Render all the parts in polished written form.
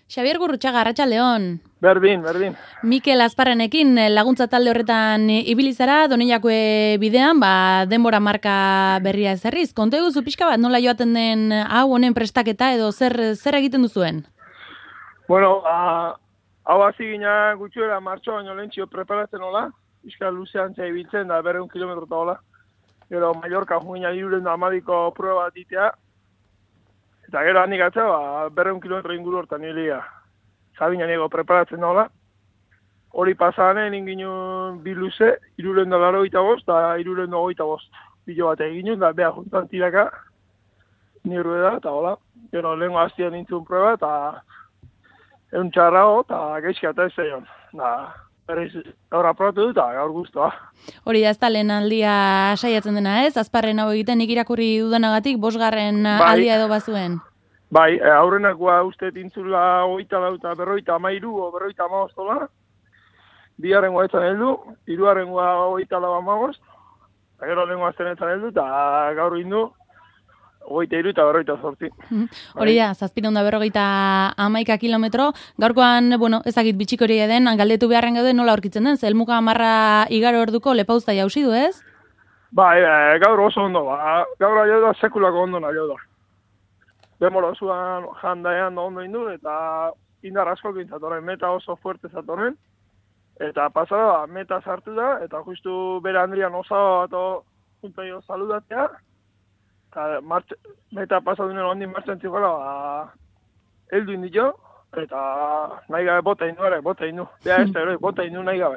Xabier Gurrutxaga, arratsaldeon. Berdin. Mikel Azparrenekin laguntza talde horretan ibili zara, Donejakue bidean, denbora marka berria ezarriz. Konta eguzu pixka bat, nola joaten den hau honen prestaketa edo zer egiten duzuen? Bueno, hau hasi gina gutxuera martxo baino lehentxio preparatzen hola. Pixka luzean ibiltzen da 200 kilometro eta hola. Gero Mallorca juina 312ko prueba bat ditea. Eta gero handik atzea, 200 kilometro inguru hortan hilia. Zabina nego preparatzen nola. Hori pasanen inginu bi luze, 385 eta 325. Bilo bat egin da beha juntan tiraka. Nirru da, eta hola. Gero lehenko hastian nintzun prueba, eta egun txarrago, eta geizkia eta ez zeion. Berriz, gaur aprobatu dut, gaur guztua. Hori da ez da lehen aldia saiatzen dena ez? Azparren hau egiten nik irakurri dudanagatik 5. aldia edo bazuen. Bai, aurrenakoa uste tintzula 24 eta 53 o 55 dola. Bigarrengoa etzan heldu, hirugarrengoa 24 eta gero lehengoa azten etzan heldu, eta gaur indu 23 eta 48. Hori da, 751 kilometro. Gaurkoan, ezagit bitxik hori den, galdetu beharren gaude nola aurkitzen den, zelmuka marra igaro orduko lepauzta jauzi du, ez? Bai, gaur oso ondo, gaur aio da sekulako ondo nahi da. Demora zuan jandaean da ondo indu, eta indar asko gintzatoren, meta oso fuerte zatoren. Eta pasada, meta sartu da, eta justu bere Andrian osaba bat juntaio saludatea. Eta meta pasadunen ondin martzen zikola, heldu indito, eta nahi gabe bota indu. Bea ez da, bota indu nahi gabe.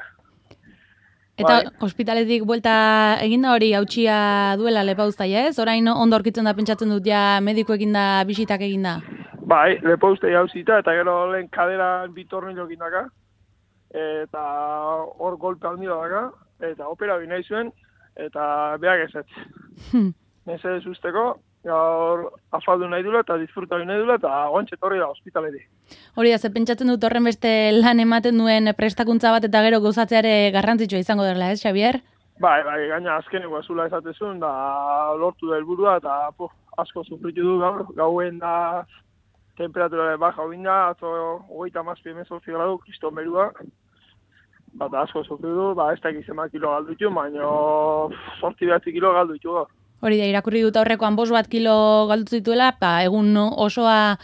Eta ospitaletik buelta eginda hori hautsia duela lepauztaia, ez? Orain ondo aurkitzen da pentsatzen dut ja medikuekin da bisitak eginda. Bai, lepauztaia hauzita, eta gero lehen kaderan bitornilo egindaka, eta hor golpe handila daka, eta opera nahi zuen, eta beak ezetz. Nezez usteko, gaur afaldu nahi dula eta disfrutatu nahi dula eta gontxe torri da ospitaletik. Hori da, ze pentsatzen dut horren beste lan ematen duen prestakuntza bat eta gero gozatzeare garrantzitsua izango dela, ez, Xabier? Bai, gaina azkeneko azula esatezun, da lortu da helburua eta asko sufritu du gaur, gauen da temperatura baja hobin da, atzo 37 gradu, kriston berua, eta asko sufritu du, ez da egizema kilo galdu ditu, baina 8 kilo galdu ditu gaur. Hori da, irakurri dut aurrekoan 5 kilo galdu zituela, egun osoa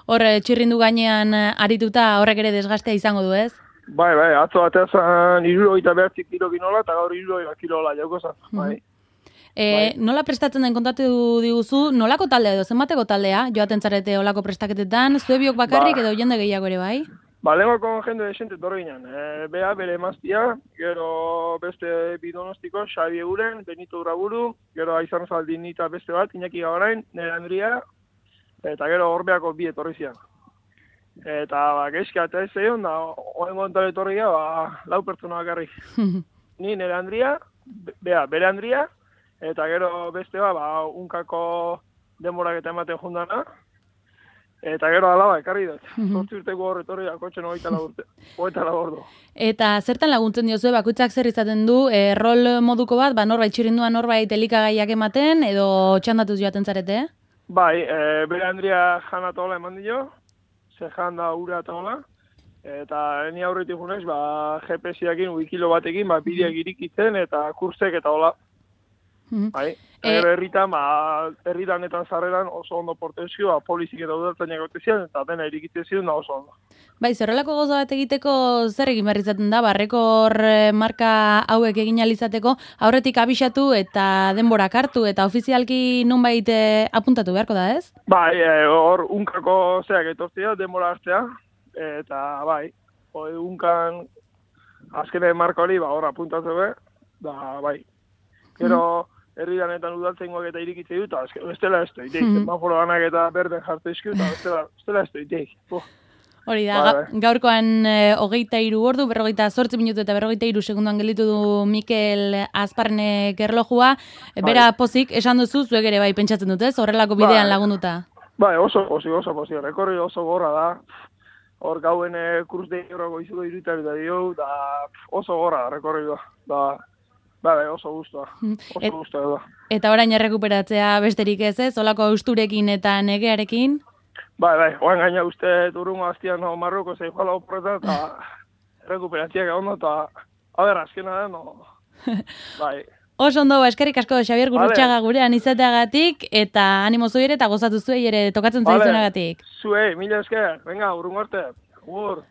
hor txirrindu gainean arituta horrek ere desgastea izango du, ez? Bai, atzo batean 69 kilo ginola eta gaur 70 kilola jauko zan, bai. Nola prestatzen den kontatu diguzu, nolako taldea edo, zenbateko taldea, joaten zarete olako prestaketetan, zue biok bakarrik edo jende gehiago ere, bai? Lehengoko jende desente torre ginen. Bea, bere emaztia, gero beste bidonostiko, Xabi Eguren, Benito Uraburu, gero Aizan Zaldin eta beste bat, Iñaki Gabarain, Nere Andria, eta gero Orbeako bi etorri zian. Eta geizkia eta ez zeion, da oen gontare etorria, 4 pertsona bakarrik. Ni Nere Andria, bere Andria, eta gero beste unkako denborak eta ematen jundana, eta gero alaba, ekarri dut. 8 urteko horretorri da, kotxen 24 ordu. Eta zertan laguntzen diozue, bakoitzak zer izaten du, rol moduko bat, norbait txirindua norbait elikagaiak ematen, edo txandatuz joaten zarete? Bai, bere Andria jana eta hola eman dio, ze janda ura eta hola, eta ni aurretik junez, GPS-iakin, wikilo batekin, bideak irikitzen, eta kursek eta hola. Bai, herritanetan zarreran oso ondo portezio, polizik eta udartzainak gotezian, eta dena irikitzen ziren da oso ondo. Bai, zerrelako gozo bat egiteko zer egin behar izaten da, rekor marka hauek egin alizateko, aurretik abisatu eta denborak hartu, eta ofizialki nonbait apuntatu beharko da, ez? Bai, hor unkako zeak etortzea, denbora hartzea, eta bai, unkan azkenen marka hori, hor apuntatu behar, da bai. Gero, herridanetan udaltzengoak eta irikitze dut, eta bestela ez da, semaforo ganak eta berden jartu izkiu, eta bestela ez da, Hori da, gaurkoan 23 ordu, 48 minutu eta 43 segunduan gelditu du Mikel Azparrenek erlojua. Bera pozik, esan duzu, zuek ere bai pentsatzen dut, ez? Horrelako bidean lagunduta. Bai, oso pozik, rekorri oso gorra da. Hor gauen kruz de euroko izuko irutar eta dio, da oso gorra rekorri da. Bai, oso guztua. Eta orain errekuperatzea besterik ez, olako austurekin eta negearekin? Bai, oan gaina uste urrungo aztian no, Marroko zei joala oporreta eta rekuperatziak ondo eta azkena da, no. Bai. Oso ondo, eskerrik asko Xabier Gurrutxaga gurean izateagatik eta animo zuei ere eta gozatu zuei ere tokatzen zaizunagatik. Zuei, mila esker, venga, urrungo arte. Agur.